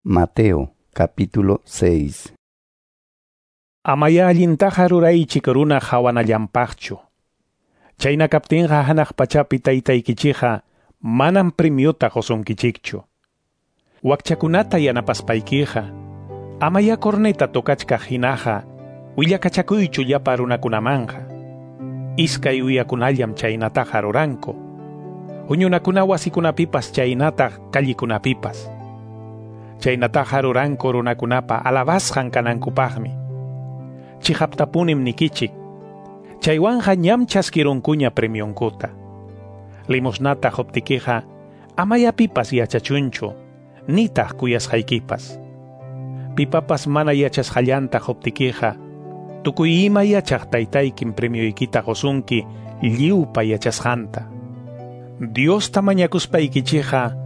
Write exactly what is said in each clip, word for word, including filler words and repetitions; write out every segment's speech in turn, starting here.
Mateo capítulo seis. Amaya allintaqa ruraychik runa hawanallanpaqchu. Chayna kaptinqa hanaq pachapi taytaykichikqa manam premiuta qusunkichikchu. Wakchakunata yanapaspaykiqa amaya corneta tocachkaq hinaqa willakachakuychu llapa runakunamanqa. Iskay uyakunallam chaynataqa ruranku. Huñunakuna wasikunapipas chaynataq kallikunapipas. Chaynataqa ruranku runakunapa alabasqan kanankupaqmi. Chiqaptapunim nikichik. Chaywanqa ñam chaskirunkuña premionkuta. Limosnata quptikiqa amaya pipas yachachunchu, nitaq kuyasqaykipas. Pipapas mana yachasqallanta quptikiqa, tukuy ima yachaq taytaykim premioykita qusunki lliwpa yachasqanta. Diosta mañakuspaykichikqa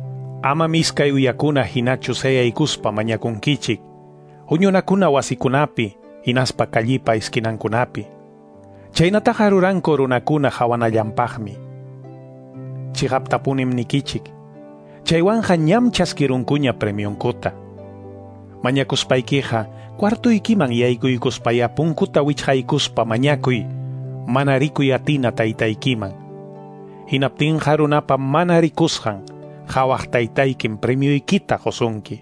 ama iskay uyakuna hinachu sayaykuspa mañakunkichik, huñunakuna wasikunapi, hinaspa kallipa esquinankunapi. Chaynataqa ruranku runakuna hawanallanpaqmi. Chiqaptapunim nikichik. Chaywanqa ñam chaskirunkuña premionkuta. Mañakuspaykiqa cuartuykiman yaykuykuspaya punkuta wichqaykuspa mañakuy, mana rikuy atina taytaykiman. Hinaptinqa runapa mana rikusqan hawaq taytaykim premioykita qusunki.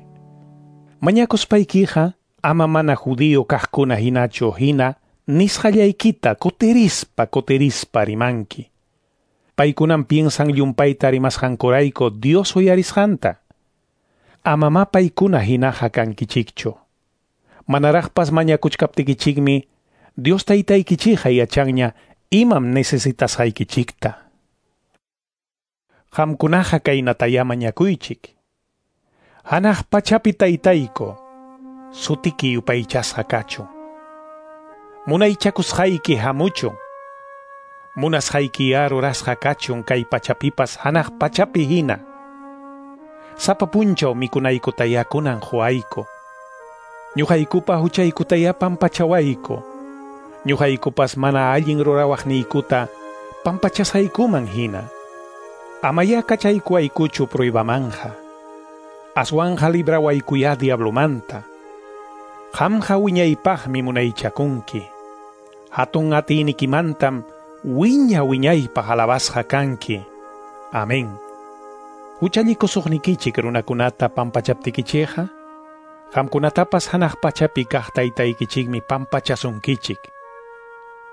Mañakuspaykiqa ama mana judío kaqkuna hinachu hina nisqallaykita kutirispa kutirispa rimanki. Paykunam piensan llumpayta rimasqankurayku Dios uyarisqanta. Amama paykuna hinaqa kankichikchu. Manaraqpas mañakuchkaptikichikmi Dios taytaykichikqa yachanña imam necesitasqaykichikta. Qamkunaqa kaynataya mañakuychik. Hanaq pachapi taytayku, sutiki yupaychasqa kachun. Munaychakusqayki hamuchun. Munasqaykiya rurasqa kachun kay pachapipas hanaq pachapi hina. Sapa punchaw mikunaykutaya kunan quwayku. Ñuqaykupa huchaykutaya pampachawayku. Ñuqaykupas mana allin rurawaqniykuta pampachasqaykuman hina. Amaya kachaykuwaykuchu pruebamanja. Aswanja librawaykuya diablomanta. Qamqa wiñaypaqmi munaychakunki. Hatun atiynikimantam wiña wiñaypaq alabasqa kanki. Amén. Huchallikusuqnikichik runakunata pampachaptikichikqa, qamkunatapas hanaq pachapi kaq taytaykichikmi pampachasunkichik.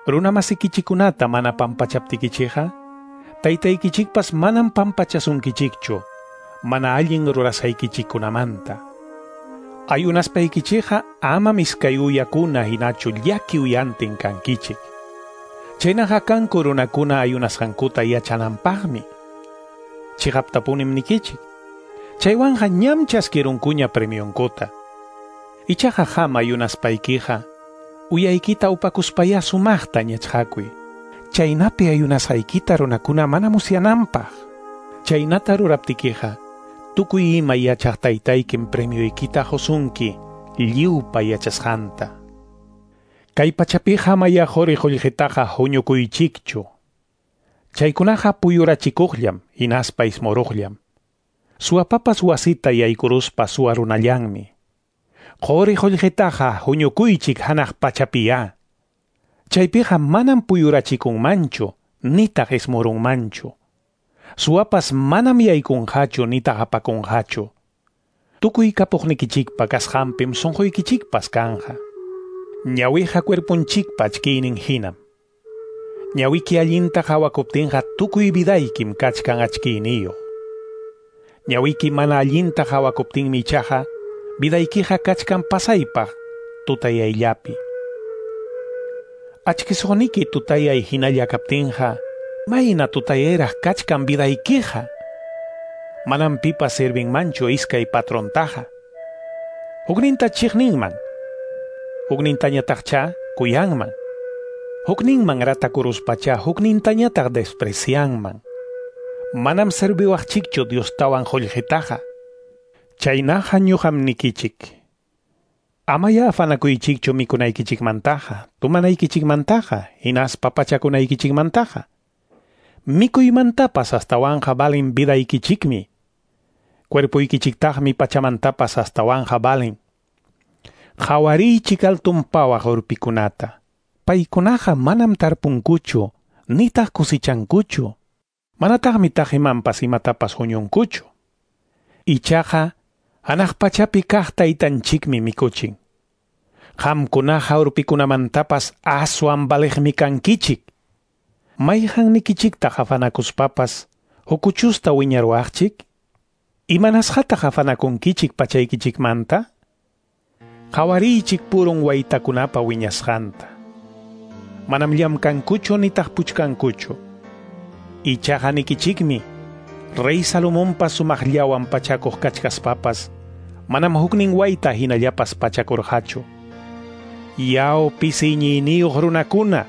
Runamasikichikunata mana pampachaptikichikqa, taytaykichikpas manam pampachasunkichikchu, mana allin rurasqaykichikkunamanta. Ayunaspaykichikqa ama iskay uyakuna hinachu llaki uyantin kankichik. Chaynaqa kanku runakuna ayunasqankuta yachananpaqmi. Chiqaptapunim nikichik. Chaywanqa ñam chaskirunkuña premionkuta. Ichaqa qam ayunaspaykiqa uyaykita upakuspaya sumaqta ñachqakuy. Chaynapi ayunasqaykita runakuna mana musyananpaq. Chaynata ruraptikiqa tukuy ima yachaq taytaykim premioykita qusunki lliwpa yachasqanta. Kay pachapiqa amaya quri qullqitaqa huñukuychikchu. Chaykunaqa puyurachikuqllam hinaspa ismuruqllam. Suwapapas wasita yaykuruspa suwarunallanmi. Quri qullqitaqa huñukuychik hanaq pachapiya. Chaypiqa manam puyurachikunmanchu nitaq ismurunmanchu. Suwapas manam yaykunqachu nitaq apakunqachu. Tukuy kapuqnikichikpa kasqanpim sunquykichikpas kanqa. Ñawiqa cuerpunchikpa achkiynin hinam. Ñawiki allinta qhawakuptinqa tukuy vidaykim kachkan achkiyniyuq. Ñawiki mana allinta qhawakuptinmi ichaqa vidaykiqa kachkan pasaypaq tutayayllapi. Achkisuqniki tutayay hinalla kaptinqa mayna tutayayraq kachkan vidaykiqa. Manam pipas servinmanchu iskay patrontaqa. Hukninta chiqninman, huknintañataqcha kuyanman. Hukninman ratakuruspacha huknintañataq desprecianman. Manam serviwaqchikchu Diostawan qullqitaqa. Chaynaqa ñuqam nikichik. Amaya afanakuychikchu mikunaykichikmantaqa, tumanaykichikmantaqa, hinaspa pachakunaykichikmantaqa. Mikuymantapas astawanqa valin vidaykichikmi. Cuerpuykichiktaqmi pachamantapas astawanja valen. Qhawariychik altun pawaq urpikunata. Paykunaqa manam tarpunkuchu, nitaq kusichankuchu. Manataqmi taqimanpas imatapas huñunkuchu. Ichaqa hanaq pachapi kaq taytanchikmi mikuchin. Qamkunaqa urpikunamantapas aswan valeqmi kankichik. Mayqannikichiktaq afanakuspapas hukuchusta wiñaruwaqchik? Imanasqataq afanakunkichik pachaykichikmanta? Qhawariychik purun waytakunapa wiñasqanta. Manam llamkankuchu nitaq puchkankuchu. Ichaqa nikichikmi, Rey Salomonpa sumaqllawan pachakuq kachkaspapas, manam huknin wayta hinallapas pachakurqachu. Yaw pisi iñiyniyuq runakuna,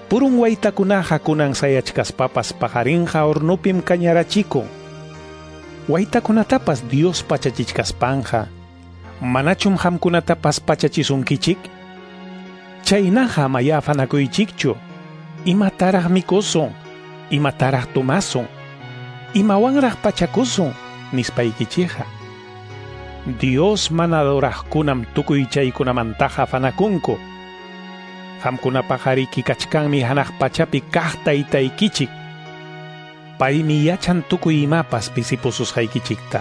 purun waytakunaqa kunan sayachkaspapas paqarinqa hornupim kañarachikun. Waytakunatapas Dios pachachichkaspanqa, manachum qamkunatapas pachachisunkichik? Chaynaqa amaya afanakuychikchu, imataraq mikusun, imataraq tomasun, imawanraq pachakusun, nispaykichikqa. Dios mana adoraqkunam tukuy chaykunamantaqa afanakunku. Qamkunapaqariki kachkanmi hanaq pachapi kaq taytaykichik. Paymi yachan tukuy imapas pisipususqaykichikta.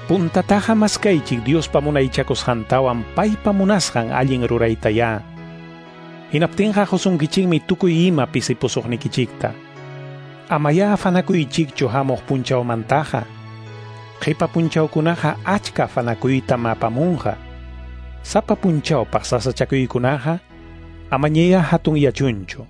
Puntataqa maskaychik Diospa munaychakusqantawan paypa munasqan allin ruraytayá. Hinaptinqa qusunkichikmi tukuy ima pisipusuqnikichikta. Amaya afanakuychikchu hamuq punchawmantaqa. Qipa punchawkunaqa achka afanakuytam apamunqa. Sapa punchawpaq sasachakuykunaqa amañaya hatun yachunchu.